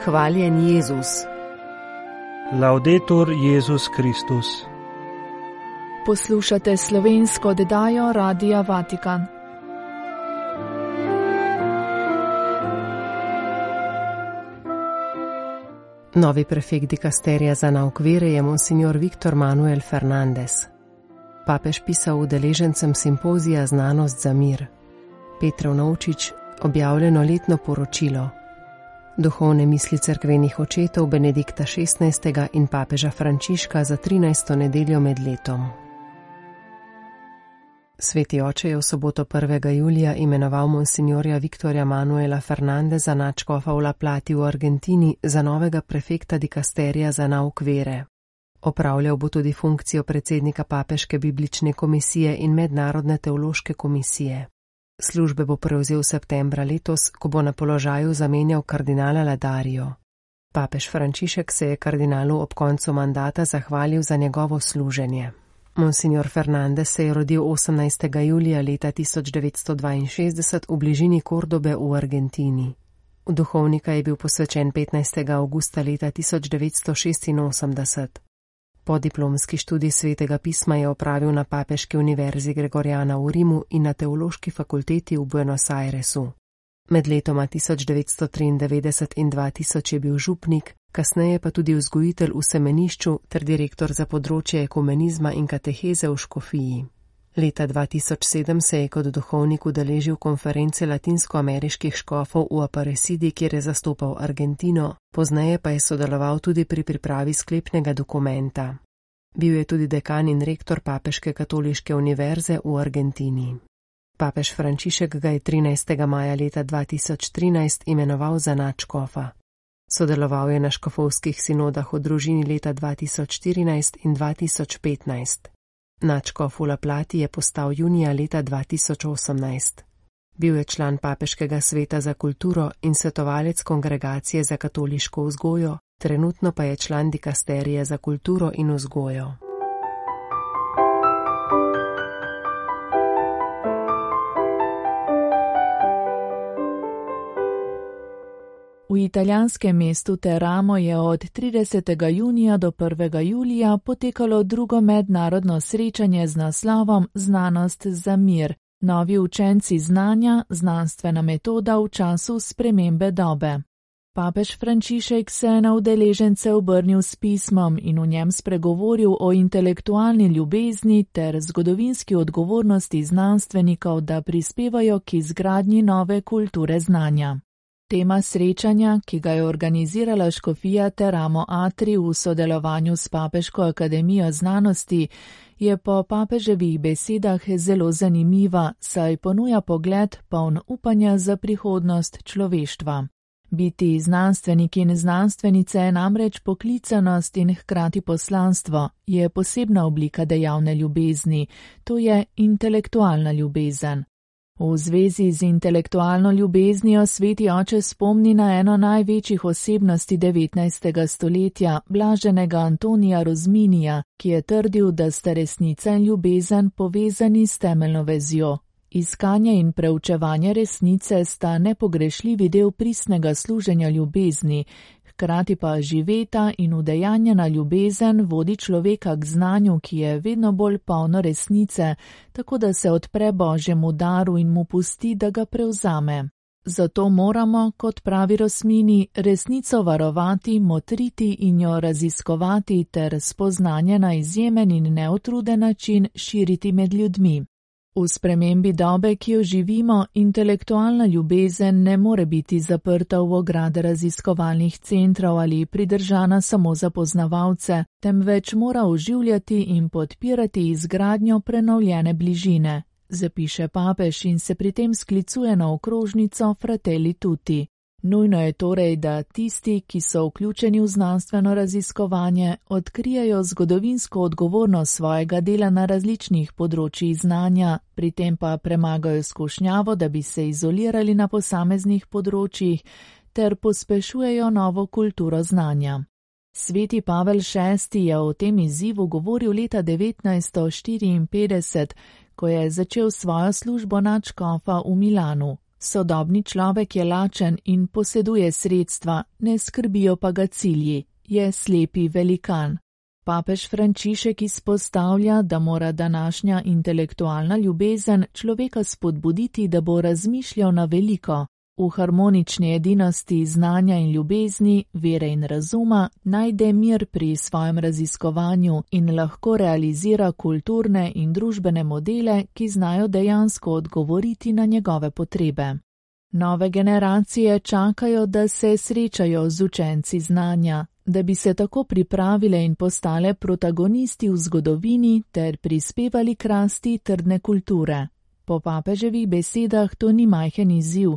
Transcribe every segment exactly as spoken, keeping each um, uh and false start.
Hvaljen Jezus. Laudetur Jezus Kristus. Poslušate slovensko oddajo Radia Vatikan. Novi prefekt dikasterija za nauk vere je monsignor Viktor Manuel Fernandez. Papež pisal udeležencem simpozija Znanost za mir. Petrov Novčič, objavljeno letno poročilo. Duhovne misli cerkvenih očetov Benedikta šestnajstega in papeža Frančiška za trinajsto nedeljo med letom. Sveti oče je v soboto prvega julija imenoval monsignorja Viktorja Manuela Fernandeza nadškofa v La Plati v Argentini za novega prefekta dikasterija za nauk vere. Opravljal bo tudi funkcijo predsednika Papeške biblične komisije in Mednarodne teološke komisije. Službe bo prevzel septembra letos, ko bo na položaju zamenjal kardinala Ladarijo. Papež Frančišek se je kardinalu ob koncu mandata zahvalil za njegovo služenje. Monsignor Fernandez se je rodil osemnajstega julija leta tisoč devetsto dvainšestdeset v bližini Kordobe v Argentini. V duhovnika je bil posvečen petnajstega avgusta leta tisoč devetsto šestinosemdeset. Podiplomski študij svetega pisma je opravil na Papeški univerzi Gregoriana v Rimu in na Teološki fakulteti v Buenos Airesu. Med letoma tisoč devetsto triindevetdeset in dva tisoč je bil župnik, kasneje pa tudi vzgojitelj v semenišču ter direktor za področje ekumenizma in kateheze v škofiji. Leta dva tisoč sedem se je kot duhovnik udeležil konference latinskoameriških škofov v Aparecidi, kjer je zastopal Argentino, pozneje pa je sodeloval tudi pri pripravi sklepnega dokumenta. Bil je tudi dekan in rektor Papeške katoliške univerze v Argentini. Papež Frančišek ga je trinajstega maja leta dva tisoč trinajst imenoval za nadškofa. Sodeloval je na škofovskih sinodah v družini leta dva tisoč štirinajst in dva tisoč petnajst. Nadškof v La Plati je postal junija leta dva tisoč osemnajst. Bil je član Papeškega sveta za kulturo in svetovalec Kongregacije za katoliško vzgojo, trenutno pa je član dikasterije za kulturo in vzgojo. V italijanskem mestu Teramo je od tridesetega junija do prvega julija potekalo drugo mednarodno srečanje z naslovom Znanost za mir. Novi učenci znanja, znanstvena metoda v času spremembe dobe. Papež Frančišek se je na udeležence obrnil s pismom in v njem spregovoril o intelektualni ljubezni ter zgodovinski odgovornosti znanstvenikov, da prispevajo k izgradnji nove kulture znanja. Tema srečanja, ki ga je organizirala škofija Teramo Atri v sodelovanju s Papeško akademijo znanosti, je po papeževih besedah zelo zanimiva, saj ponuja pogled poln upanja za prihodnost človeštva. Biti znanstvenik in znanstvenice je namreč poklicanost in hkrati poslanstvo, je posebna oblika dejavne ljubezni, to je intelektualna ljubezen. V zvezi z intelektualno ljubeznijo sveti oče spomni na eno največjih osebnosti devetnajstega stoletja, blaženega Antonija Rozminija, ki je trdil, da sta resnica in ljubezen povezani s temeljno vezjo. Iskanje in preučevanje resnice sta nepogrešljivi del pristnega služenja ljubezni, hkrati pa živeta in udejanjena ljubezen vodi človeka k znanju, ki je vedno bolj polno resnice, tako da se odpre Božjemu daru in mu pusti, da ga prevzame. Zato moramo, kot pravi Rosmini, resnico varovati, motriti in jo raziskovati ter spoznanje na izjemen in neutruden način širiti med ljudmi. V spremembi dobe, ki jo živimo, intelektualna ljubezen ne more biti zaprta v ograde raziskovalnih centrov ali pridržana samo za poznavalce, temveč mora oživljati in podpirati izgradnjo prenovljene bližine, zapiše papež in se pri tem sklicuje na okrožnico Fratelli Tutti. Nujno je torej, da tisti, ki so vključeni v znanstveno raziskovanje, odkrijejo zgodovinsko odgovornost svojega dela na različnih področjih znanja, pri tem pa premagajo skušnjavo, da bi se izolirali na posameznih področjih, ter pospešujejo novo kulturo znanja. Sveti Pavel šesti je o tem izzivu govoril leta devetnajststo štiriinpetdeset, ko je začel svojo službo nadškofa v Milanu. Sodobni človek je lačen in poseduje sredstva, ne skrbijo pa ga cilji, je slepi velikan. Papež Frančišek izpostavlja, da mora današnja intelektualna ljubezen človeka spodbuditi, da bo razmišljal na veliko. V harmonični edinosti znanja in ljubezni, vere in razuma najde mir pri svojem raziskovanju in lahko realizira kulturne in družbene modele, ki znajo dejansko odgovoriti na njegove potrebe. Nove generacije čakajo, da se srečajo z učenci znanja, da bi se tako pripravile in postale protagonisti v zgodovini ter prispevali k rasti trdne kulture. Po papeževih besedah to ni majhen izziv,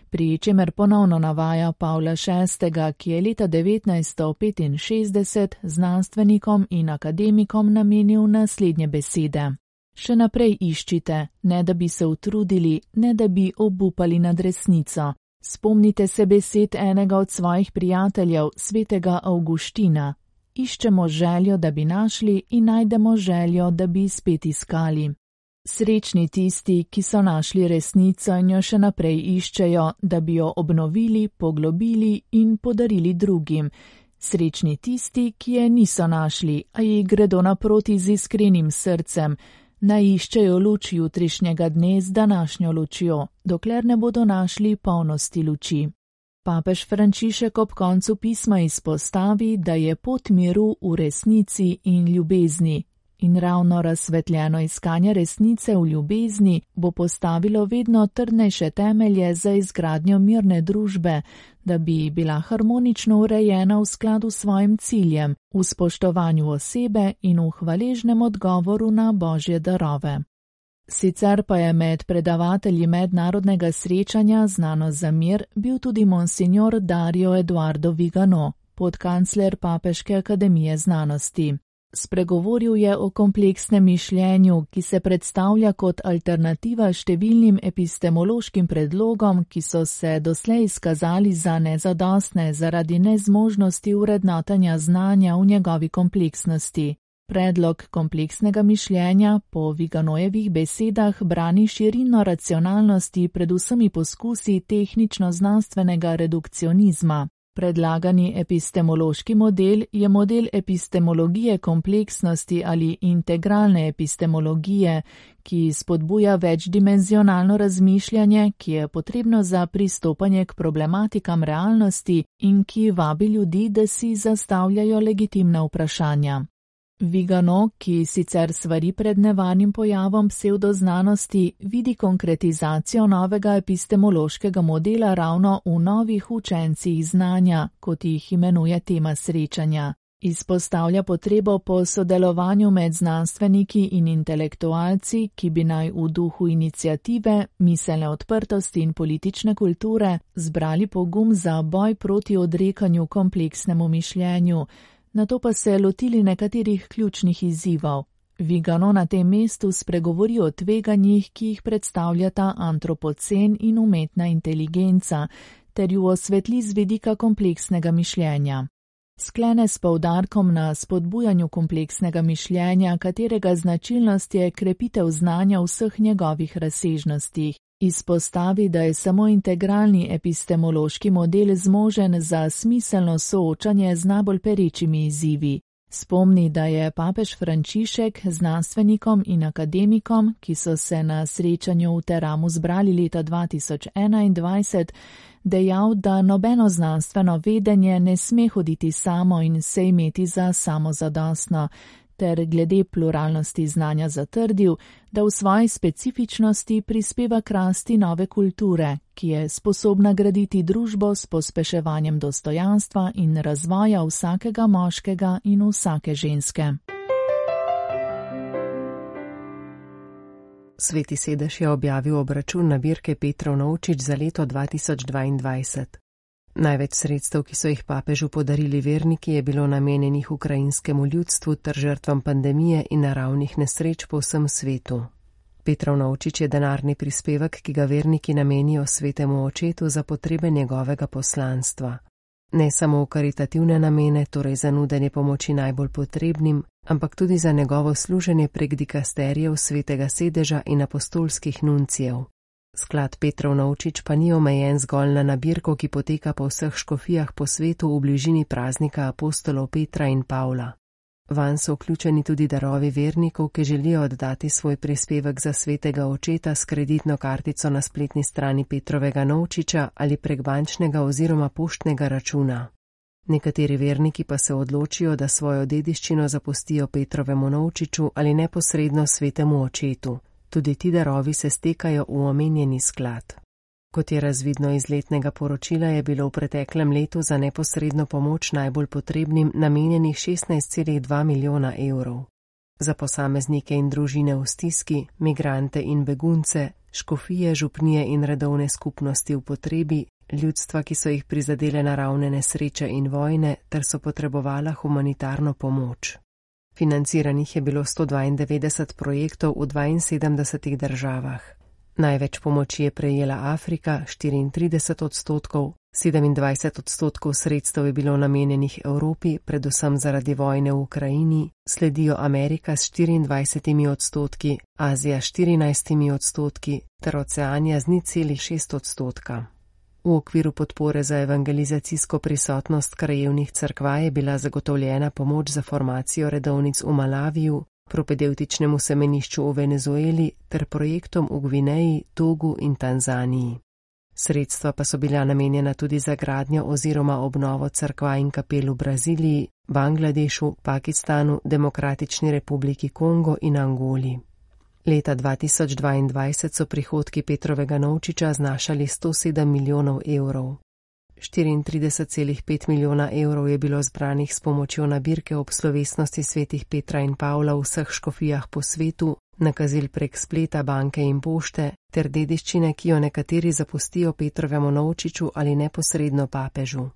pri čemer ponovno navaja Pavla šestega, ki je leta devetnajststo petinšestdeset znanstvenikom in akademikom namenil naslednje besede. Še naprej iščite, ne da bi se utrudili, ne da bi obupali nad resnico. Spomnite se besed enega od svojih prijateljev, svetega Avguština. Iščemo željo, da bi našli, in najdemo željo, da bi spet iskali. Srečni tisti, ki so našli resnico in jo še naprej iščejo, da bi jo obnovili, poglobili in podarili drugim. Srečni tisti, ki je niso našli, a ji gredo naproti z iskrenim srcem, naj iščejo luč jutrišnjega dne z današnjo lučjo, dokler ne bodo našli polnosti luči. Papež Frančišek ob koncu pisma izpostavi, da je pot miru v resnici in ljubezni. In ravno razsvetljeno iskanje resnice v ljubezni bo postavilo vedno trdnejše temelje za izgradnjo mirne družbe, da bi bila harmonično urejena v skladu s svojim ciljem, v spoštovanju osebe in v hvaležnem odgovoru na božje darove. Sicer pa je med predavatelji mednarodnega srečanja Znanost za mir bil tudi monsignor Dario Eduardo Vigano, podkancler Papeške akademije znanosti. Spregovoril je o kompleksnem mišljenju, ki se predstavlja kot alternativa številnim epistemološkim predlogom, ki so se doslej izkazali za nezadostne zaradi nezmožnosti vrednotanja znanja v njegovi kompleksnosti. Predlog kompleksnega mišljenja po Viganojevih besedah brani širino racionalnosti pred vsemi poskusi tehnično-znanstvenega redukcionizma. Predlagani epistemološki model je model epistemologije kompleksnosti ali integralne epistemologije, ki spodbuja večdimenzionalno razmišljanje, ki je potrebno za pristopanje k problematikam realnosti in ki vabi ljudi, da si zastavljajo legitimna vprašanja. Vigano, ki sicer svari pred nevarnim pojavom psevdoznanosti, vidi konkretizacijo novega epistemološkega modela ravno v novih učencih znanja, kot jih imenuje tema srečanja. Izpostavlja potrebo po sodelovanju med znanstveniki in intelektualci, ki bi naj v duhu iniciative, miselne odprtosti in politične kulture zbrali pogum za boj proti odrekanju kompleksnemu mišljenju, nato pa se lotili nekaterih ključnih izzivov. Vigano na tem mestu spregovori o tveganjih, ki jih predstavljata antropocen in umetna inteligenca, ter ju osvetli z vidika kompleksnega mišljenja. Sklene s poudarkom na spodbujanju kompleksnega mišljenja, katerega značilnost je krepitev znanja v vseh njegovih razsežnostih. Izpostavi, da je samo integralni epistemološki model zmožen za smiselno soočanje z najbolj perečimi izzivi. Spomni, da je papež Frančišek znanstvenikom in akademikom, ki so se na srečanju v Teramu zbrali leta dva tisoč enaindvajset, dejal, da nobeno znanstveno vedenje ne sme hoditi samo in se imeti za samozadostno, ter glede pluralnosti znanja zatrdil, da v svoji specifičnosti prispeva k rasti nove kulture, ki je sposobna graditi družbo s pospeševanjem dostojanstva in razvoja vsakega moškega in vsake ženske. Sveti sedež je objavil obračun nabirke Petrov Novčič za leto dva tisoč dvaindvajset. Največ sredstev, ki so jih papežu podarili verniki, je bilo namenjenih ukrajinskemu ljudstvu ter žrtvam pandemije in naravnih nesreč po vsem svetu. Petrov Novčič je denarni prispevek, ki ga verniki namenijo svetemu očetu za potrebe njegovega poslanstva. Ne samo v karitativne namene, torej za nudenje pomoči najbolj potrebnim, ampak tudi za njegovo služenje prek dikasterijev svetega sedeža in apostolskih nuncijev. Sklad Petrov Novčič pa ni omejen zgolj na nabirko, ki poteka po vseh škofijah po svetu v bližini praznika apostolov Petra in Pavla. Vanj so vključeni tudi darovi vernikov, ki želijo oddati svoj prispevek za svetega očeta s kreditno kartico na spletni strani Petrovega Novčiča ali prek bančnega oziroma poštnega računa. Nekateri verniki pa se odločijo, da svojo dediščino zapustijo Petrovemu Novčiču ali neposredno svetemu očetu. Tudi ti darovi se stekajo v omenjeni sklad. Kot je razvidno iz letnega poročila, je bilo v preteklem letu za neposredno pomoč najbolj potrebnim namenjenih šestnajst celih dva milijona evrov. Za posameznike in družine v stiski, migrante in begunce, škofije, župnije in redovne skupnosti v potrebi, ljudstva, ki so jih prizadele naravne nesreče in vojne, ter so potrebovala humanitarno pomoč. Financiranih je bilo sto dvaindevetdeset projektov v dvainsedemdesetih državah. Največ pomoči je prejela Afrika, štiriintrideset odstotkov, sedemindvajset odstotkov sredstev je bilo namenjenih Evropi, predvsem zaradi vojne v Ukrajini, sledijo Amerika s štiriindvajsetimi odstotki, Azija s štirinajstimi odstotki ter Oceanija z nič celih šest odstotka. V okviru podpore za evangelizacijsko prisotnost krajevnih cerkva je bila zagotovljena pomoč za formacijo redovnic v Malaviju, propedevtičnemu semenišču v Venezueli ter projektom v Gvineji, Togu in Tanzaniji. Sredstva pa so bila namenjena tudi za gradnjo oziroma obnovo cerkva in kapel v Braziliji, Bangladešu, Pakistanu, Demokratični republiki Kongo in Angoli. Leta dva tisoč dvaindvajset so prihodki Petrovega Novčiča znašali sto sedem milijonov evrov. štiriintrideset celih pet milijona evrov je bilo zbranih s pomočjo nabirke ob slovesnosti svetih Petra in Pavla v vseh škofijah po svetu, nakazil prek spleta, banke in pošte, ter dediščine, ki jo nekateri zapustijo Petrovemu Novčiču ali neposredno papežu.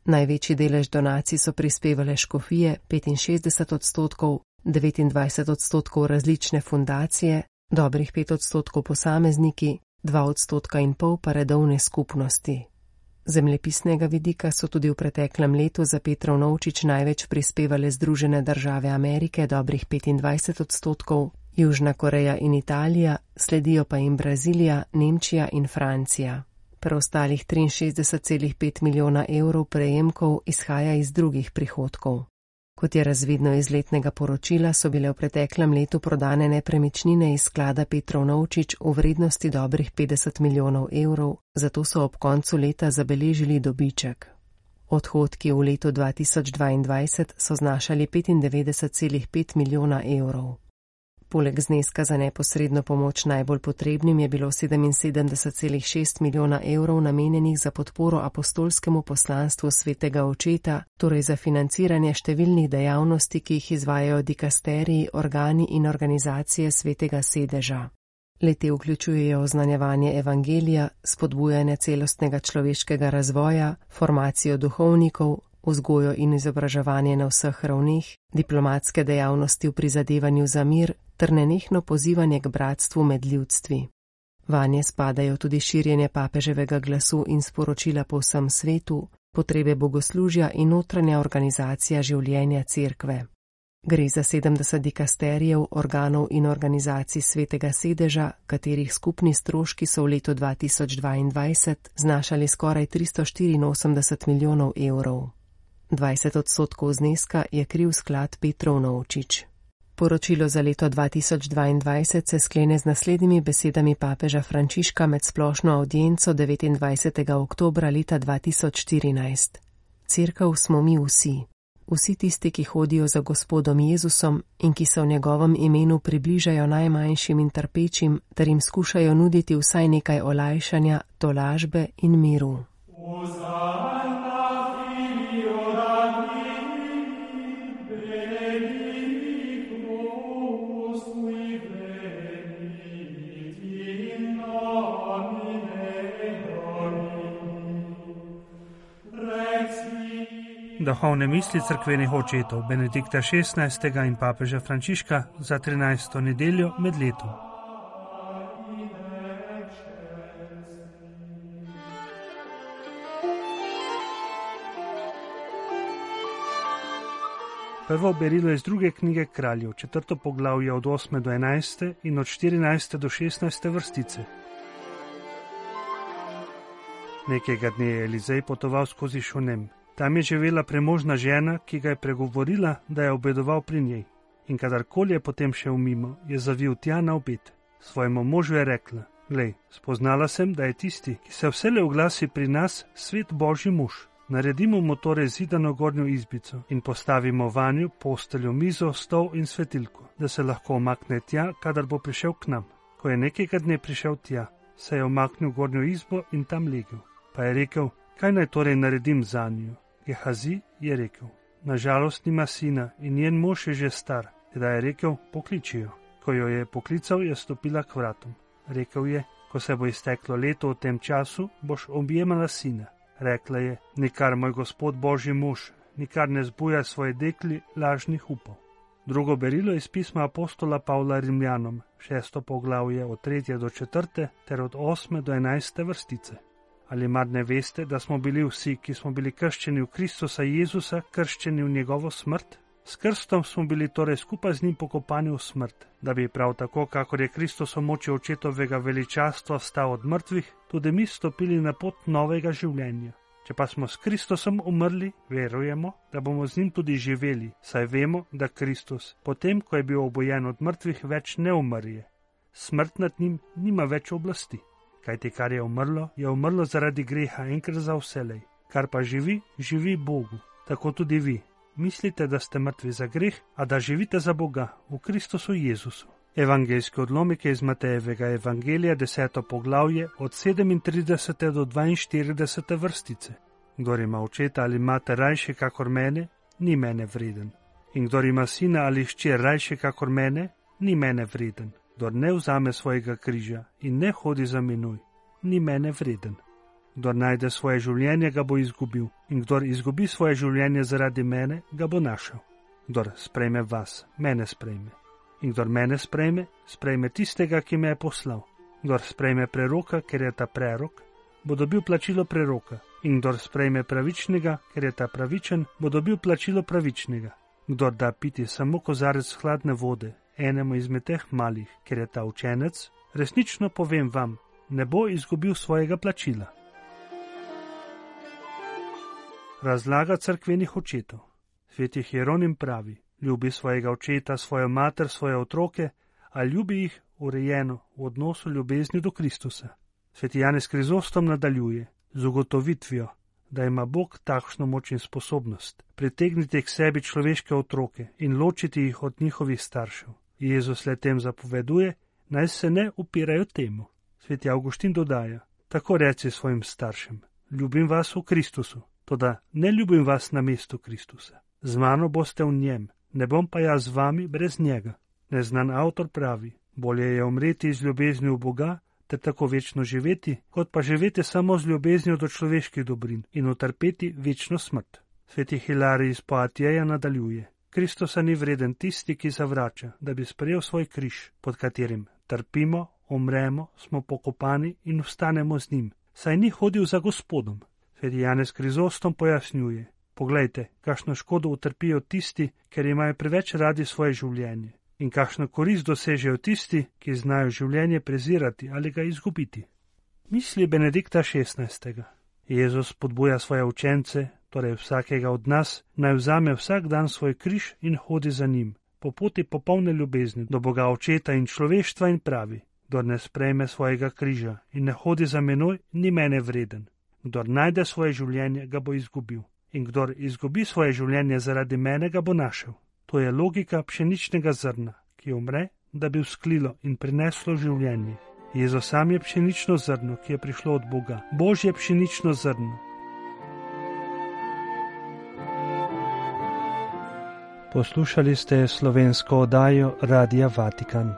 Največji delež donacij so prispevale škofije, petinšestdeset odstotkov, devetindvajset odstotkov različne fundacije, dobrih pet odstotkov posamezniki, dva odstotka in pol pa redovne skupnosti. Zemljepisnega vidika so tudi v preteklem letu za Petrov Novčič največ prispevale Združene države Amerike, dobrih petindvajset odstotkov, Južna Koreja in Italija, sledijo pa jim Brazilija, Nemčija in Francija. Preostalih triinšestdeset celih pet milijona evrov prejemkov izhaja iz drugih prihodkov. Kot je razvidno iz letnega poročila, so bile v preteklem letu prodane nepremičnine iz sklada Petrov Novčič v vrednosti dobrih petdeset milijonov evrov, zato so ob koncu leta zabeležili dobiček. Odhodki v letu dva tisoč dvaindvajset so znašali petindevetdeset celih pet milijona evrov. Poleg zneska za neposredno pomoč najbolj potrebnim je bilo sedeminsedemdeset celih šest milijona evrov namenjenih za podporo apostolskemu poslanstvu svetega očeta, torej za financiranje številnih dejavnosti, ki jih izvajajo dikasteriji, organi in organizacije svetega sedeža. Le-te vključujejo oznanjevanje evangelija, spodbujanje celostnega človeškega razvoja, formacijo duhovnikov, vzgojo in izobraževanje na vseh ravneh, diplomatske dejavnosti v prizadevanju za mir ter nenehno pozivanje k bratstvu med ljudstvi. Vanje spadajo tudi širjenje papeževega glasu in sporočila po vsem svetu, potrebe bogoslužja in notranja organizacija življenja cerkve. Gre za sedemdeset dikasterijev, organov in organizacij svetega sedeža, katerih skupni stroški so v letu dva tisoč dvaindvajset znašali skoraj tristo štiriinosemdeset milijonov evrov. dvajset odstotkov zneska je kriv sklad Petrov Novčič. Poročilo za leto dva tisoč dvaindvajset se sklene z naslednjimi besedami papeža Frančiška med splošno avdienco devetindvajsetega oktobra leta dva tisoč štirinajst. Cerkev smo mi vsi. Vsi tisti, ki hodijo za Gospodom Jezusom in ki se v njegovem imenu približajo najmanjšim in trpečim, ter jim skušajo nuditi vsaj nekaj olajšanja, tolažbe in miru. Duhovne misli cerkvenih očetov Benedikta šestnajstega in papeža Frančiška za trinajsto nedeljo med letom. Prvo berilo iz druge knjige Kraljev, četrto poglavje od osme do enajste in od štirinajste do šestnajste vrstice. Nekega dne je Elizej potoval skozi Šunem. Tam je živela premožna žena, ki ga je pregovorila, da je obedoval pri njej. In kadarkoli je potem šel mimo, je zavil tja na obed. Svojemu možu je rekla: Glej, spoznala sem, da je tisti, ki se vselej oglasi pri nas, svet Božji mož. Naredimo mu torej zidano gornjo izbico in postavimo vanju posteljo, mizo, stol in svetilko, da se lahko omakne tja, kadar bo prišel k nam. Ko je nekega dne prišel tja, se je omaknil v gornjo izbo in tam legel. Pa je rekel: Kaj naj torej naredim zanjo? Gehazi je rekel: Nažalost nima sina in njen mož je že star. Tedaj je rekel: Pokliči jo. Ko jo je poklical, je stopila k vratom. Rekel je: Ko se bo izteklo leto v tem času, boš objemala sina. Rekla je: Nikar, moj gospod Božji mož, nikar ne zbuja svoje dekli lažnih upov. Drugo berilo iz pisma apostola Pavla Rimljanom, šesto poglavje od tretje do četrte ter od osme do enajste vrstice. Ali mar ne veste, da smo bili vsi, ki smo bili krščeni v Kristusa Jezusa, krščeni v njegovo smrt? S krstom smo bili torej skupaj z njim pokopani v smrt, da bi prav tako, kakor je Kristus v moči očetovega veličastva vstal od mrtvih, tudi mi stopili na pot novega življenja. Če pa smo s Kristusom umrli, verujemo, da bomo z njim tudi živeli, saj vemo, da Kristus, potem ko je bil obojen od mrtvih, več ne umrje. Smrt nad njim nima več oblasti. Kajti kar je umrlo, je umrlo zaradi greha enkrat za vselej. Kar pa živi, živi Bogu. Tako tudi vi. Mislite, da ste mrtvi za greh, a da živite za Boga v Kristusu Jezusu. Evangeljski odlomek je iz Matejevega evangelija, deseto poglavje, od sedemintridesete do dvainštiridesete vrstice. Kdor ima očeta ali mater rajše kakor mene, ni mene vreden. In kdor ima sina ali hčer rajše kakor mene, ni mene vreden. Kdor ne vzame svojega križa in ne hodi za menoj, ni mene vreden. Kdor najde svoje življenje, ga bo izgubil, in kdor izgubi svoje življenje zaradi mene, ga bo našel. Kdor sprejme vas, mene sprejme. In kdor mene sprejme, sprejme tistega, ki me je poslal. Kdor sprejme preroka, ker je ta prerok, bo dobil plačilo preroka. In kdor sprejme pravičnega, ker je ta pravičen, bo dobil plačilo pravičnega. Kdor da piti samo kozarec hladne vode enemu izmed teh malih, ker je ta učenec, resnično povem vam, ne bo izgubil svojega plačila. Razlaga cerkvenih očetov. Sveti Hieronim pravi: Ljubi svojega očeta, svojo mater, svoje otroke, a ljubi jih urejeno v odnosu ljubezni do Kristusa. Sveti Janez Krizostom nadaljuje z ugotovitvijo, da ima Bog takšno moč in sposobnost pritegniti k sebi človeške otroke in ločiti jih od njihovih staršev. Jezus le tem zapoveduje, naj se ne upirajo temu. Sveti Avguštin dodaja: Tako reci svojim staršem: Ljubim vas v Kristusu, toda ne ljubim vas na mestu Kristusa. Z mano boste v njem, ne bom pa jaz z vami brez njega. Neznan avtor pravi: Bolje je umreti iz ljubezni v Boga ter tako večno živeti, kot pa živeti samo z ljubeznijo do človeških dobrin in utrpeti večno smrt. Sveti Hilarij iz Poatijeja nadaljuje: Kristusa ni vreden tisti, ki zavrača, da bi sprejel svoj križ, pod katerim trpimo, umremo, smo pokopani in vstanemo z njim, saj ni hodil za Gospodom. Sveti Janez Krizostom pojasnjuje: Poglejte, kakšno škodo utrpijo tisti, ker imajo preveč radi svoje življenje, in kakšno korist dosežejo tisti, ki znajo življenje prezirati ali ga izgubiti. Misli Benedikta šestnajstega. Jezus podbuja svoje učence, torej vsakega od nas, naj vzame vsak dan svoj križ in hodi za njim, po poti popolne ljubezni do Boga Očeta in človeštva, in pravi: Kdor ne sprejme svojega križa in ne hodi za menoj, ni mene vreden. Kdor najde svoje življenje, ga bo izgubil. In kdor izgubi svoje življenje zaradi mene, ga bo našel. To je logika pšeničnega zrna, ki umre, da bi vzklilo in prineslo življenje. Jezus sam je pšenično zrno, ki je prišlo od Boga. Božje pšenično zrno. Poslušali ste slovensko oddajo Radia Vatikan.